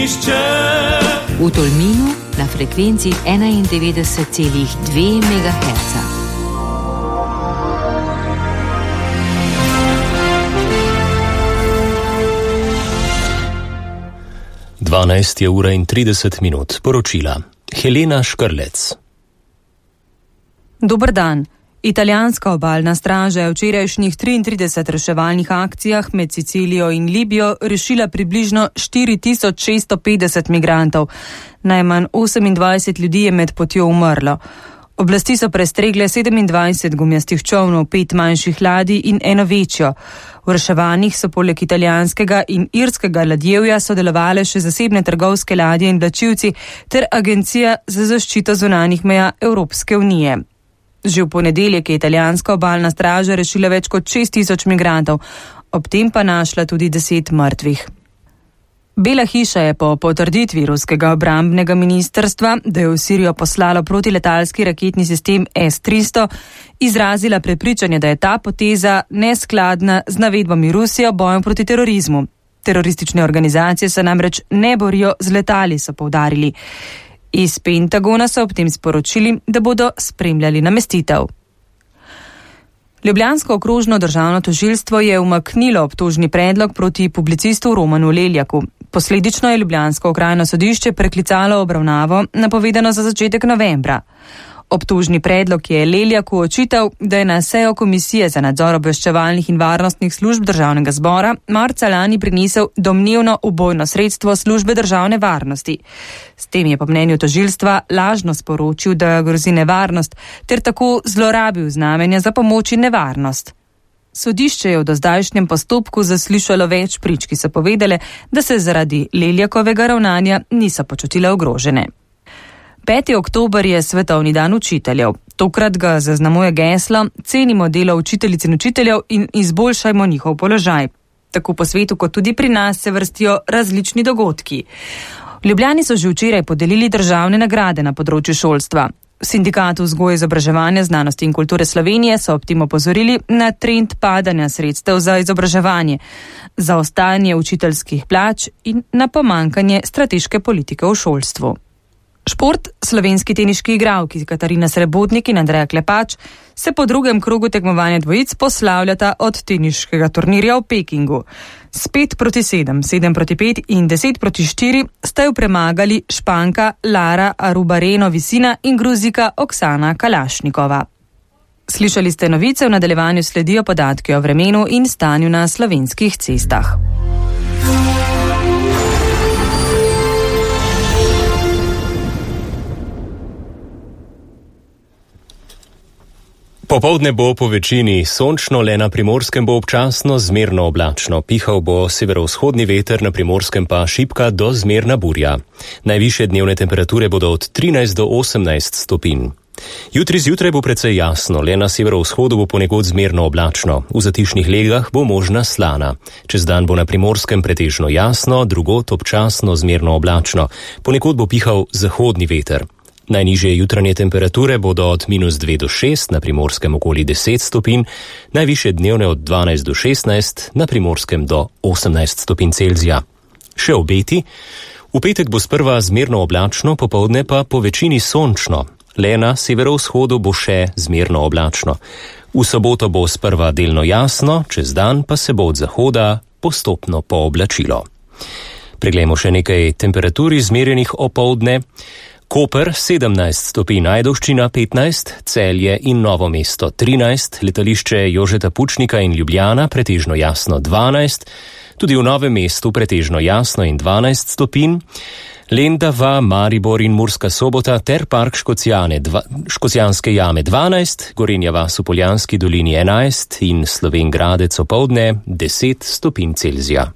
Ognišče. V Tolminu na frekvenci 91,2 MHz. 12:30, poročila. Helena Škrlec. Dober dan. Italijanska obalna straža je v včerajšnjih 33 reševalnih akcijah med Sicilijo in Libijo rešila približno 4650 migrantov. Najmanj 28 ljudi je med potjo umrlo. Oblasti so prestregle 27 gumijastih čolnov, 5 manjših ladij in eno večjo. V reševanjih so poleg italijanskega in irskega ladjevja sodelovale še zasebne trgovske ladje in vlačilci ter Agencija za zaščito zunanjih meja Evropske unije. Že v ponedeljek je italijanska obalna straža rešila več kot 6000 migrantov, ob tem pa našla tudi 10 mrtvih. Bela hiša je po potrditvi ruskega obrambnega ministrstva, da je v Sirijo poslalo protiletalski raketni sistem S-300, izrazila prepričanje, da je ta poteza neskladna z navedbami Rusije o boju proti terorizmu. Teroristične organizacije se namreč ne borijo z letali, so poudarili. Iz Pentagona so ob tem sporočili, da bodo spremljali namestitev. Ljubljansko okrožno državno tožilstvo je umaknilo obtožni predlog proti publicistu Romanu Leljaku. Posledično je ljubljansko okrajno sodišče preklicalo obravnavo, napovedano za začetek novembra. Obtožni predlog je Leljaku očital, da je na sejo Komisije za nadzor obveščevalnih in varnostnih služb državnega zbora marca lani prinesel domnevno ubojno sredstvo službe državne varnosti. S tem je po mnenju tožilstva lažno sporočil, da grozi nevarnost, ter tako zlorabil znamenja za pomoč in nevarnost. Sodišče je v dozdajšnjem postopku zaslišalo več prič, ki so povedale, da se zaradi Leljakovega ravnanja niso počutile ogrožene. 5. oktober je svetovni dan učiteljev. Tokrat ga zaznamuje geslo Cenimo delo učiteljic in učiteljev in izboljšajmo njihov položaj. Tako po svetu kot tudi pri nas se vrstijo različni dogodki. V Ljubljani so že včeraj podelili državne nagrade na področju šolstva. V Sindikatu vzgoje, izobraževanja, znanosti in kulture Slovenije so ob tem opozorili na trend padanja sredstev za izobraževanje, za ostajanje učiteljskih plač in na pomanjkanje strateške politike v šolstvu. Šport, slovenski teniški igralki Katarina Srebotnik in Andreja Klepač se po drugem krogu tekmovanja dvojic poslavljata od teniškega turnirja v Pekingu. S 5-7, 7-5 in 10-4 sta jo premagali Španka Lara Arubareno Visina in Gruzika Oksana Kalašnikova. Slišali ste novice, v nadaljevanju sledijo podatki o vremenu in stanju na slovenskih cestah. Popoldne bo po večini sončno, le na Primorskem bo občasno zmerno oblačno. Pihal bo severovzhodni veter, na Primorskem pa šibka do zmerna burja. Najvišje dnevne temperature bodo od 13 do 18 stopinj. Jutri zjutraj bo precej jasno, le na severovzhodu bo ponekod zmerno oblačno. V zatišnih legah bo možna slana. Čez dan bo na Primorskem pretežno jasno, drugod občasno zmerno oblačno. Ponekod bo pihal zahodni veter. Najnižje jutranje temperature bodo od -2 do 6, na Primorskem okoli 10 stopinj, najvišje dnevne od 12 do 16, na Primorskem do 18 stopinj Celzija. Še obeti. V petek bo sprva zmerno oblačno, popoldne pa po večini sončno. Le na severovzhodu bo še zmerno oblačno. V soboto bo sprva delno jasno, čez dan pa se bo od zahoda postopno pooblačilo. Preglejmo še nekaj temperatur izmerjenih opoldne. Koper 17 stopinj, Ajdovščina 15, Celje in Novo mesto 13, letališče Jožeta Pučnika in Ljubljana pretežno jasno 12, tudi v Novem mestu pretežno jasno in 12 stopinj, Lendava, Maribor in Murska Sobota ter park Škocjanske jame 12, Gorenja vas v Poljanski dolini 11 in Slovenj Gradec opoldne 10 stopinj Celzija.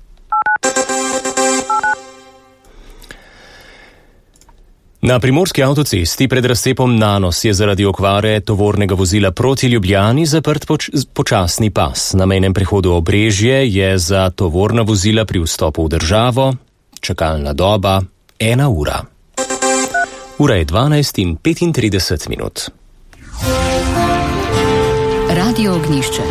Na primorski avtocesti pred razcepom Nanos je zaradi okvare tovornega vozila proti Ljubljani zaprt počasni pas. Na mejnem prehodu Obrežje je za tovorna vozila pri vstopu v državo čakalna doba 1 ura. Ura je 12:35. Radio Ognišče.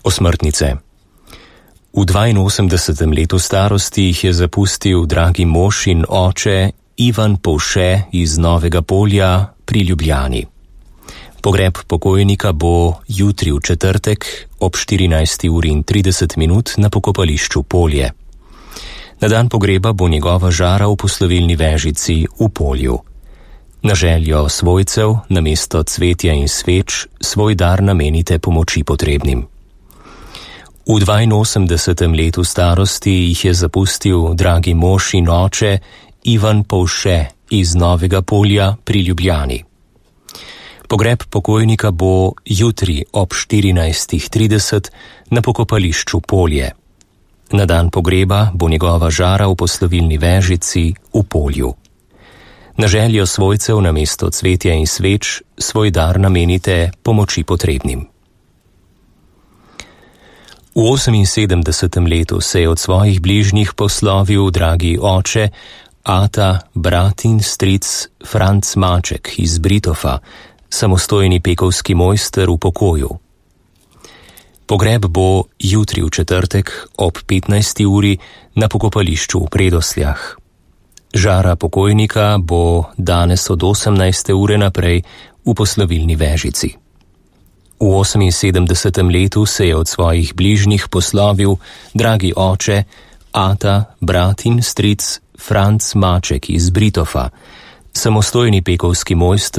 Osmrtnice. V 82. letu starosti jih je zapustil dragi mož in oče Ivan Povše iz Novega Polja pri Ljubljani. Pogreb pokojnika bo jutri v četrtek ob 14:30 na pokopališču Polje. Na dan pogreba bo njegova žara v poslovilni vežici v Polju. Na željo svojcev namesto cvetja in sveč svoj dar namenite pomoči potrebnim. V 82. letu starosti jih je zapustil dragi mož in oče Ivan Povše iz Novega Polja pri Ljubljani. Pogreb pokojnika bo jutri ob 14:30 na pokopališču Polje. Na dan pogreba bo njegova žara v poslovilni vežici v Polju. Na željo svojcev namesto cvetja in sveč svoj dar namenite pomoči potrebnim. V 78. letu se je od svojih bližnjih poslovil dragi oče, ata, brat in stric Franc Maček iz Britofa, samostojni pekovski mojster v pokoju. Pogreb bo jutri v četrtek ob 15. uri na pokopališču v Predosljah. Žara pokojnika bo danes od 18. ure naprej v poslovilni vežici. V 78. letu se je od svojih bližnjih poslovil dragi oče, ata, brat in stric Franc Maček iz Britofa, samostojni pekovski mojster